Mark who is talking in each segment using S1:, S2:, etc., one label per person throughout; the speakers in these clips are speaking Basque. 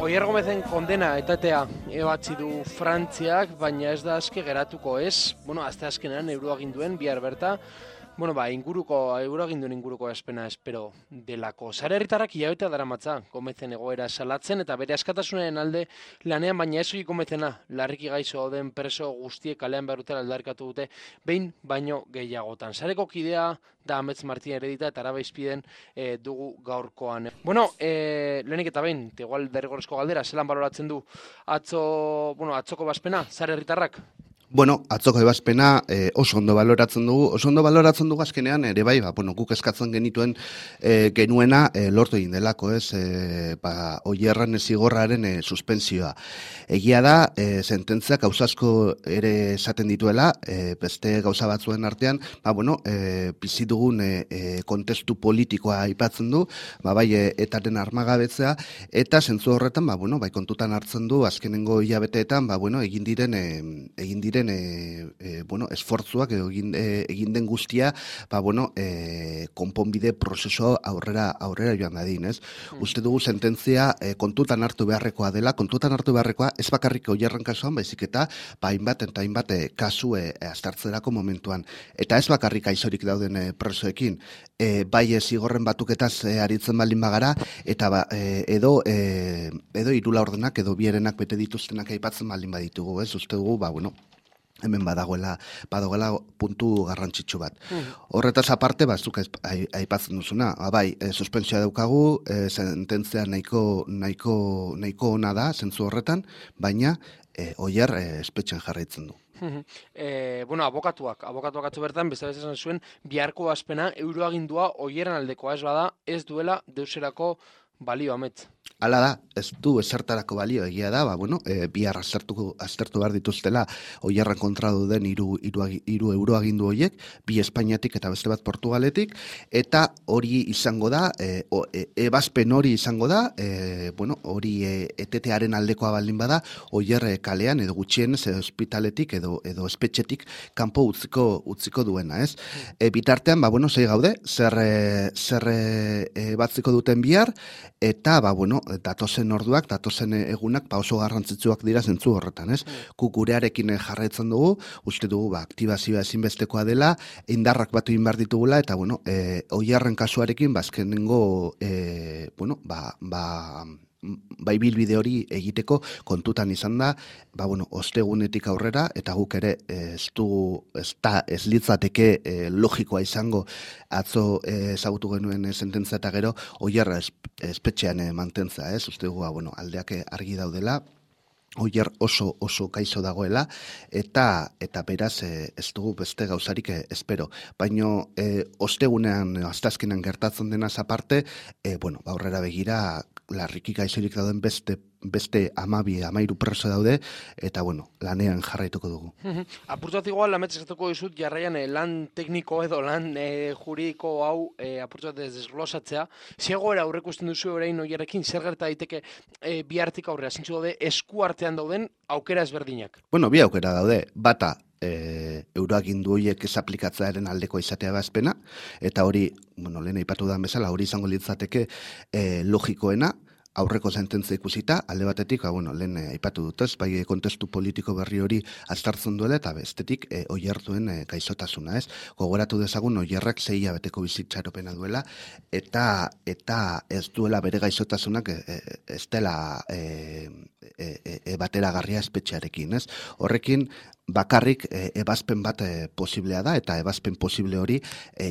S1: Oier Gomezen kondena etatea ebatzi du Frantziak, baina ez da aske geratuko ez. Azte azkenean euroaginduen bihar berta, euroaginduen inguruko espena espero delako. Sare herritarrak hilabete daramatza Gomezen egoera salatzen eta bere askatasunaren alde lanean, baina ez soilik Gomezena, larriki gaixo den preso guztiek kalean behar dutela aldarkatu dute behin baino gehiagotan. Sareko kidea da Amets Martin Heredita eta Arabaizpiden dugu gaurkoan. Lehenik eta behin, igual derrigorrezko galdera, zelan baloratzen du atzoko bazpena, sare herritarrak?
S2: Atzoko ebazpena oso ondo baloratzen dugu azkenean ere bai, guk eskatzen genuena lortu egin delako, Oierren zigorraren suspensioa. Egia da, sententziak gauza asko ere esaten dituela, beste gauza batzuen artean, bizi dugun kontestu politikoa aipatzen du, etaren armagabetzea, eta zentzu horretan, kontutan hartzen du azkenengo hilabeteetan, egin diren esfortzuak egin den guztia, konponbide prozeso aurrera joan dadin, ez? Uste dugu sententzia kontutan hartu beharrekoa dela, ez bakarrik Oierren kasuan, baizik eta hainbat kasu aztertzerako momentuan. Eta ez bakarrik aizorik dauden presoekin, bai zigorren batuketaz aritzen baldin bagara, eta edo hiru laurdenak edo bierenak bete dituztenak aipatzen baldin baditugu, ez? Uste dugu, hemen badagoela puntu garrantzitsu bat. Horretaz aparte, zuk aipatzen duzuna, suspensioa daukagu, sententzia nahiko ona da, zentzu horretan, baina Oier espetxen jarraitzen du.
S1: Abokatuak atzo bertan, beste esan zuen, biharko azpena euroagindua Oierren aldekoa ez bada, ez duela deuserako balio, Amets.
S2: Hala da, ez du esertarako balio, egia da, bihar aztertu behar dituztela Oierren kontra duden hiru euroagindu horiek, bi Espainiatik eta beste bat Portugaletik, eta hori izango da, ebazpen hori izango da, hori etetearen aldekoa baldin bada, Oier kalean edo gutxienez ospitaletik edo espetxetik kanpo utziko duena, ez? Bitartean, zei gaude, zer batziko duten bihar, eta, datozen orduak, datozen egunak, oso garrantzitsuak dira zentzu horretan, ez? Gurearekin jarraitzen dugu, uste dugu, aktibazioa ezinbestekoa dela, indarrak batu egin behar ditugula, eta, Oierren kasuarekin, azkenengo, bilbide hori egiteko kontutan izan da, ostegunetik aurrera, eta guk ere ez litzateke logikoa izango atzo ezagutu genuen sententzia eta gero Oierra espetxean mantentza, ez? Uste dugu, aldeak argi daudela, Oier oso kaizo dagoela, eta beraz ez dugu beste gauzarik espero. Baina ostegunean, aztazkenean gertatzen denaz aparte, aurrera begira, larriki gaizorik dauden beste 12-13 preso daude, eta lanean jarraituko dugu.
S1: Apurtzat igual, Amets esatuko dizut, jarraian lan tekniko edo lan juridiko hau apurtzat desglosatzea. Zegoera aurrekusten duzu orain Oierrekin, zer gerta daiteke bihartik aurrera, zintzu daude esku artean dauden aukera ezberdinak?
S2: Bi aukera daude, bata, euroagindu horiek ez aplikatzearen aldeko izatea bazpena, eta hori, lehen aipatu da bezala, hori izango litzateke logikoena, aurreko sententzia ikusita, alde batetik, lehen aipatu dut ez, bai kontestu politiko berri hori aztartzen duela, eta bestetik Oiertuen gaixotasuna, ez? Gogoratu dezagun Oierrak 6 hilabeteko bizitzaropena duela, eta ez duela bere gaixotasunak ez dela bateragarria espetxearekin, ez? Horrekin, bakarrik ebazpen bat posiblea da, eta ebazpen posible hori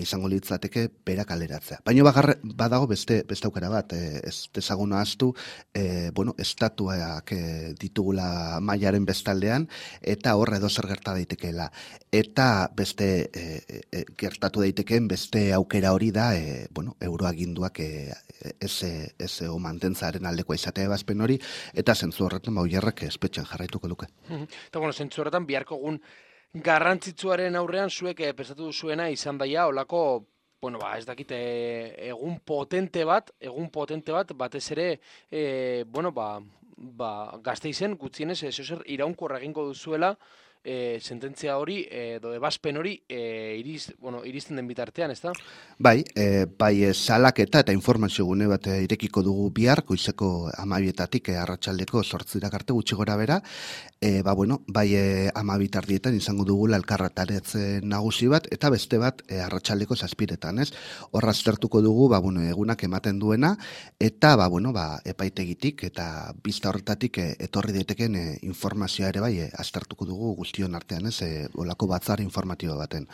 S2: izango litzateke berak aleratzea. Baina badago beste aukera bat, ez dezagun ahaztu, estatuak ditugula mailaren bestaldean, eta hor edo zer gerta daitekeela. Eta beste gertatu daitekeen beste aukera hori da, euroaginduak ez mantentzaren aldekoa izatea ebazpen hori, eta zentzu horretan Oierrek espetxean jarraituko luke.
S1: Eta zentzu horretan biharko egun garrantzitsuaren aurrean zuek pensatu duzuena izan daia olako, ez dakite, egun potente bat, batez ere, Gasteizen gutxienez zer iraunkorra egingo duzuela sententzia hori edo ebazpen hori iristen den bitartean, ezta?
S2: Bai, salaketa eta informazio gune bat irekiko dugu bihar, goizeko 12:00 arratsaldeko 8:00 arte gutxi gora bera, bai 12:00 izango dugula elkarretaretze nagusi bat, eta beste bat arratsaldeko 7:00, ez? Horra aztertuko dugu, egunak ematen duena, eta epaitegitik eta bizta horretatik etorri daiteken informazioa ere bai aztertuko dugu guztion artean, ez? Olako batzar informatibo baten.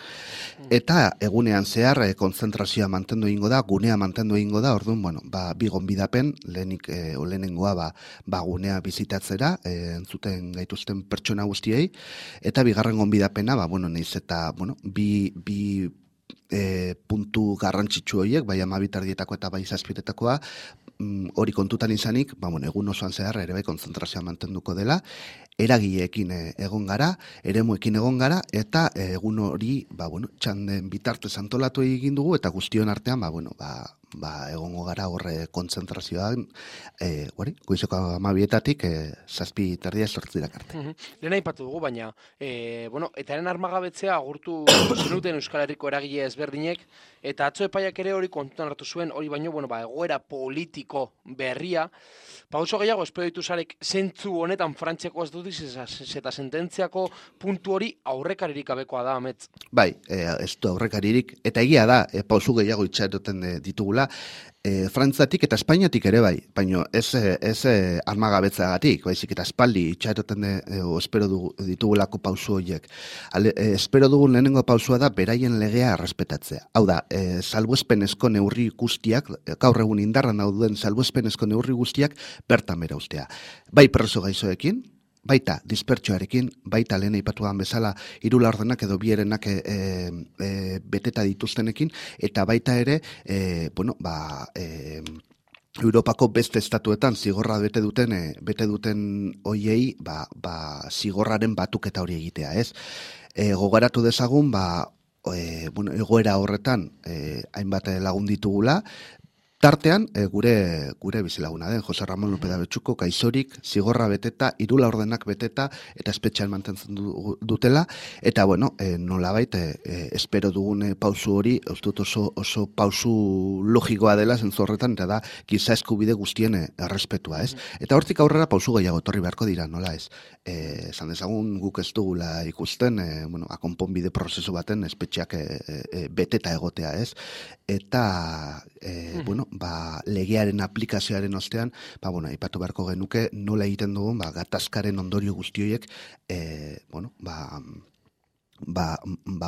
S2: Eta egunean zehar kontzentrazioa mantendu egingo da, gunea mantendu egingo da, orduan, bi gonbidapen, lehenengoa gunea bizitatzera, entzuten gaituzten pertsona guztiei, eta bigarren gonbidapena, nahiz eta, bi puntu garrantzitsu horiek, bai 12:00 eta bai 7:00 hori kontutan izanik, egun osoan zehar ere bai konzentrazioa mantenduko dela, eragileekin egon gara, eremuekin egon gara, eta egun hori, txanden bitartez antolatu egin dugu, eta guztion artean, egongo gara horre konzentrazioan, goizeko 12:00-tatik 7:30 arte.
S1: Lehen aipatu dugu, baina, etaren armagabetzea agurtu zenuten Euskal Herriko eragile ezberdinek, eta atzo epaiak ere hori kontutan hartu zuen, hori baino, egoera politiko berria, pauso gehiago espero ditu zarek zentzu honetan Frantziako ez dut eta sententziako puntu hori aurrekaririk gabekoa da, Amets.
S2: Bai, ez du aurrekaririk, eta egia da, pausu gehiago itxaroten ditugula, Frantziatik eta Espainiatik ere bai, baina ez armagabetzagatik, baizik eta espaldi itxaroten espero ditugulako pausu horiek. Espero dugun lehenengo pausua da beraien legea errespetatzea. Hau da, salbuespenezko neurri guztiak, gaur egun indarran dauden salbuespenezko neurri guztiak bertan bera ustea. Bai preso gaixoekin, baita dispertsioarekin, baita lehen aipatuan bezala 3 laurdenak edo bierenak beteta dituztenekin, eta baita ere, Europako beste estatuetan zigorra bete duten hoiei, zigorraren batuketa hori egitea, ez? Gogoratu dezagun, egoera horretan hainbat lagun ditugula, tartean, gure bizilaguna den, Jose Ramon López de Abetxuko, gaixorik, zigorra beteta, 3 laurdenak beteta, eta espetxean mantentzen dutela, eta, nolabait, espero dugun pausu hori, ustut oso pausu logikoa dela, zentzu horretan, eta da, giza eskubide guztien errespetua, ez? Eta hortik aurrera pausu gehiago etorri beharko dira, nola ez? Esan dezagun guk ez dugula ikusten, akonponbide prozesu baten espetxeak beteta egotea, ez? Eta, legearen aplikazioaren ostean, aipatu beharko genuke nola egiten dugun, gatazkaren ondorio guztioiek,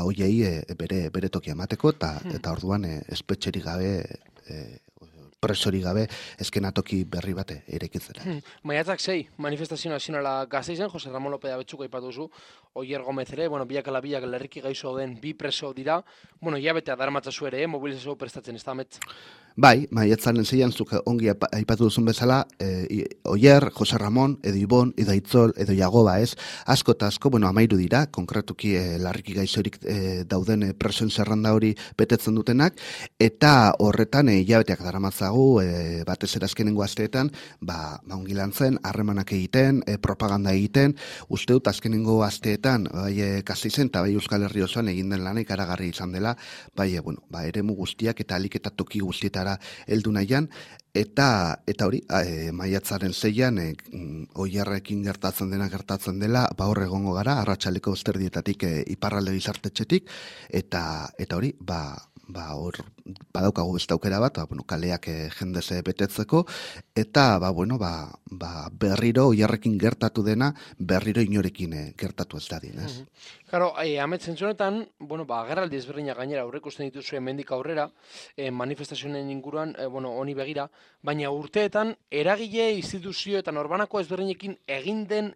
S2: hoiei bere tokia emateko, eta orduan espetxerik gabe, presori gabe, eskenatoki berri bate irekitzera.
S1: Maiatzak 6, manifestazio nazionala Gasteizen, Jose Ramon López de Abetxuko aipatu zu, Oier Gomez ere, biak ala biak lerriki gaixo den 2 preso dira, hilabetea daramatzazu ere, mobilizazio prestatzen ez da, Amets?
S2: Bai, maiatzaren 6an zuk ongi aipatu duzun bezala, Oier, Jose Ramon, edo Ibon, edo Aitzol, edo Jagoba, ez? Asko eta asko, 13 dira, konkretuki larriki gaixorik dauden presoen zerranda hori betetzen dutenak, eta horretan hilabeteak daramatzagu, batez ere azkenengo asteetan, ongi lan zen, harremanak egiten, propaganda egiten, uste dut azkenengo asteetan, bai Gasteizen eta bai Euskal Herri osoan egin den lana ikaragarri izan dela, eremu guztiak eta alik eta toki guztietara heldu nahian, eta hori, maiatzaren 6an, Oierrekin gertatzen dela, hor egongo gara, arratsaleko 7:00 iparralde gizartetxetik, eta hori, hor badaukagu beste aukera bat, kaleak jendez betetzeko, eta berriro Oierrekin gertatu dena, berriro inorekin gertatu ez dadin, ez?
S1: Claro, Amets zentzunetan, agerraldi ezberdinak gainera aurreikusten dituzue hemendik aurrera, manifestazioen inguruan, honi begira, baina urteetan eragile, instituzio eta norbanako ezberdinekin egin den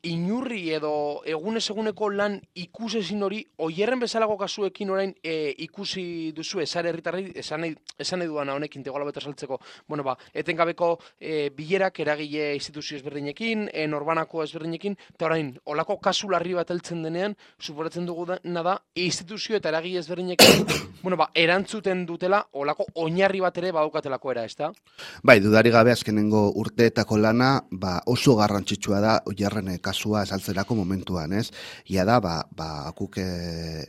S1: inurri edo egunez eguneko lan ikusezin hori, Oierren bezalago kasuekin orain ikusi duzu esare herritarrei, esan nahi duana honekin tegola bete saltzeko, etengabeko bilerak eragile instituzio ezberdinekin, norbanako ezberdinekin, eta orain, olako kasu larri bat heltzen denean, suporatzen dugu da, instituzio eta eragile ezberdinekin, erantzuten dutela, olako oinarri bat ere badaukatelako era, ezta?
S2: Bai, dudari gabe azkenengo urteetako lana, oso garrantzitsua da, oierren kasua esaltzerako momentuan, ez? Ia da, guk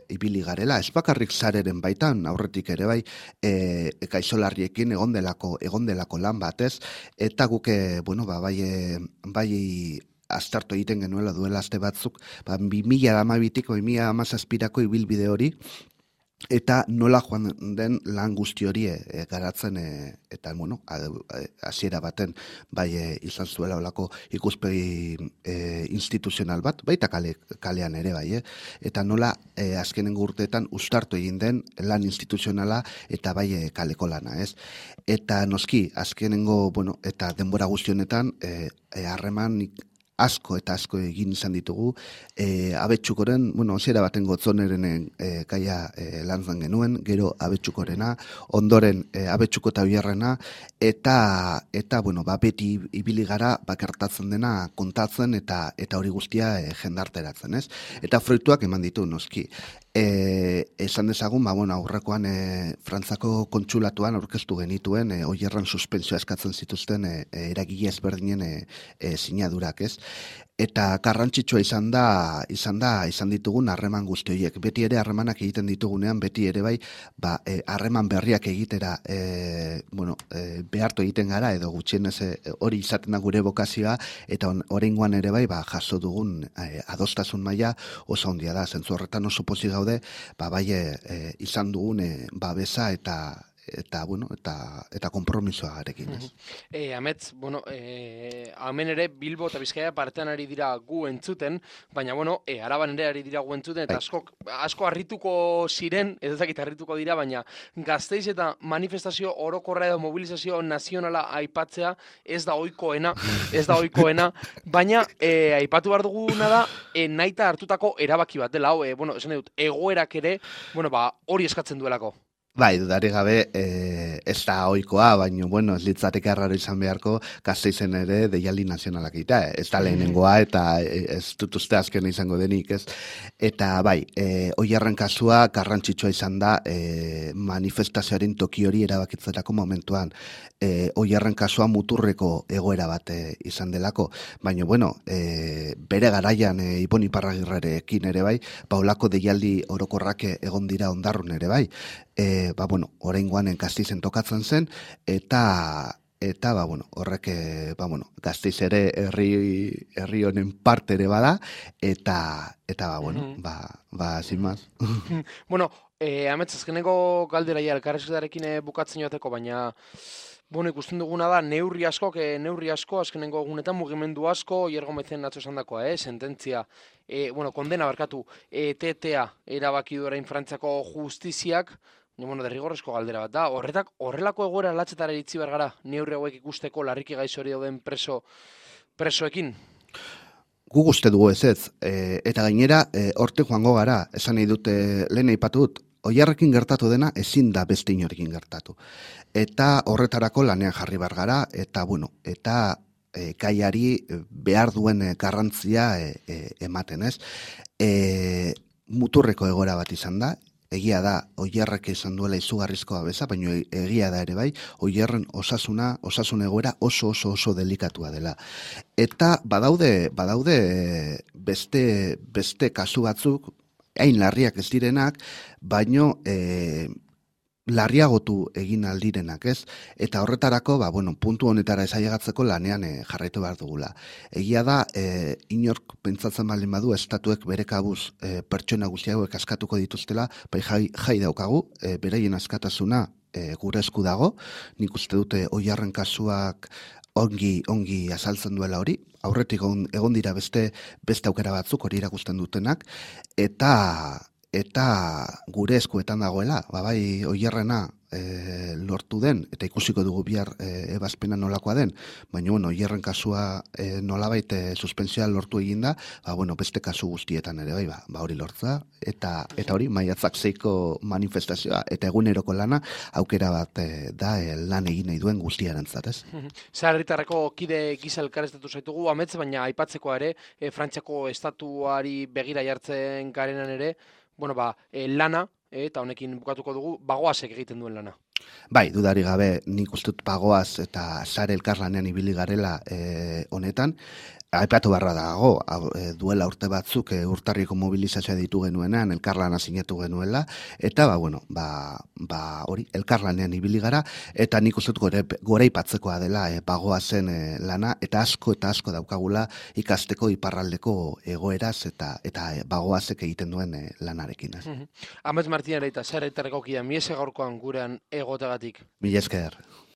S2: ibili garela, ez bakarrik zareren baitan, aurretik ere bai, gaixolarriekin egon delako lan bat, ez? Eta guk, bai aztertu egiten genuela duela aste batzuk, 2012-tik, 2017-ko ibilbide hori, eta nola joan den lan guzti hori garatzen eta hasiera baten bai izan zuela olako ikuspegi instituzional bat, baita kalean ere bai, eta nola azkenengo urteetan uztartu egin den lan instituzionala eta bai kaleko lana, ez? Eta noski azkenengo, eta denbora guzti honetan harreman asko egin izan ditugu, Abetxukoren, hasiera baten Gotzoneren gaia lanzan genuen, gero Abetxukorena, ondoren Abetxuko eta Oierrena, eta beti ibili gara bakartatzen dena kontatzen eta hori guztia jendarteratzen, ez? Eta fruituak eman ditu, noski. Esan dezagun, aurrekoan Frantzako kontsulatuan aurkeztu genituen Oierren suspentsioa eskatzen zituzten eragile ezberdinen sinadurak, ez? Eta garrantzitsua izan ditugun harreman guzti horiek. Beti ere harremanak egiten ditugunean, beti ere bai, harreman berriak egitera behartu egiten gara, edo gutxienez hori izaten da gure bokazioa, eta oraingoan ere bai, jaso dugun adostasun maila oso handia da. Zentzu horretan oso pozik gaude, izan dugun babesa eta konpromisoa garekin, ez?
S1: Amets, hemen ere Bilbo eta Bizkaia partean ari dira gu entzuten, baina, Araban ere ari dira gu entzuten, eta asko harrituko ziren, ez ezakit harrituko dira, baina Gasteiz eta manifestazio orokorra edo mobilizazio nazionala aipatzea ez da ohikoena, baina aipatu behar duguna da, nahita hartutako erabaki bat dela, esan dut, egoerak ere, hori eskatzen duelako.
S2: Bai, dudarik gabe, ez da ohikoa, baina, ez litzateke arraro izan beharko, Gasteizen ere deialdi nazionalak egitea, ez da lehenengoa, eta ez dut uste azken izango denik, ez? Eta bai, Oierren kasua garrantzitsua izan da manifestazioaren toki hori erabakitzerako momentuan. Oierren kasua muturreko egoera bat izan delako, baina, bere garaian Ipon Iparragirrerekin ere bai, olako deialdi orokorrak egon dira Ondarrun ere bai, oraingoan Gasteizen tokatzen zen, eta horrek, Gasteiz ere herri honen parte ere bada, eta sin más.
S1: Amets, azkeneko galderaia elkarrizketarekin bukatzen joateko, baina ikusten duguna da, neurri asko, azkenengo egunetan mugimendu asko, Oier Gomezen atzo esan dakoa, sententzia, kondena barkatu, etetea erabaki du orain Frantziako justiziak, derrigorrezko galdera bat da, horrelako egoera latzetara iritzi behar gara, neurri hauek ikusteko larriki gaixo hori dauden presoekin?
S2: Gu uste dugu ez, eta gainera, hortik joango gara, esan nahi dute lehen aipatu dut, Oierrekin gertatu dena ezin da beste inorekin gertatu. Eta horretarako lanean jarri behar gara, eta gaiari behar duen garrantzia ematen, ez? Muturreko egoera bat izan da, egia da, Oierrek izan duela izugarrizko babesa, baina egia da ere bai, Oierren osasun egoera oso delikatua dela. Eta badaude beste kasu batzuk, hain larriak ez direnak, baino larriagotu egin aldirenak, ez? Eta horretarako, puntu honetara esaiagatzeko lanean jarraitu behar dugula. Egia da, inork pentsatzen baldin badu, estatuek bere kabuz pertsona guztiagoek askatuko dituztela, bai jai daukagu, beraien askatasuna gure esku dago, nik uste dute Oierren kasuak ongi azaltzen duela hori, aurretik egon dira beste aukera batzuk hori irakusten dutenak, eta gure eskuetan dagoela, bai Oierrena lortu den, eta ikusiko dugu bihar ebazpena nolakoa den, baina Oierren kasua nolabait suspensioa lortu eginda, beste kasu guztietan ere bai, hori lortza, eta hori maiatzak 6ko manifestazioa, eta eguneroko lana aukera bat da lan egin nahi duen guztiarentzat, ez?
S1: Herritarreko kide gisa elkarreztatu zaitugu, Amets, baina aipatzeko ere, Frantziako estatuari begira jartzen garenan ere, lana, eta honekin bukatuko dugu, Bagoazek egiten duen lana.
S2: Bai, dudari gabe, nik uste dut Bagoaz eta sare elkarlanean ibili garela honetan. Aipatu barra dago, duela urte batzuk urtarriko mobilizazioa ditu genuenean, elkarlana sinatu genuela, eta hori, elkarlanean ibili gara, eta nik uste dut goraipatzekoa dela bagoa zen lana, eta asko daukagula ikasteko iparraldeko egoeraz, eta bagoazek egiten duen lanarekin.
S1: Amets Martin Areita, zer aitarreko kia, miese gaurkoan gurean egotagatik.
S2: Mila esker.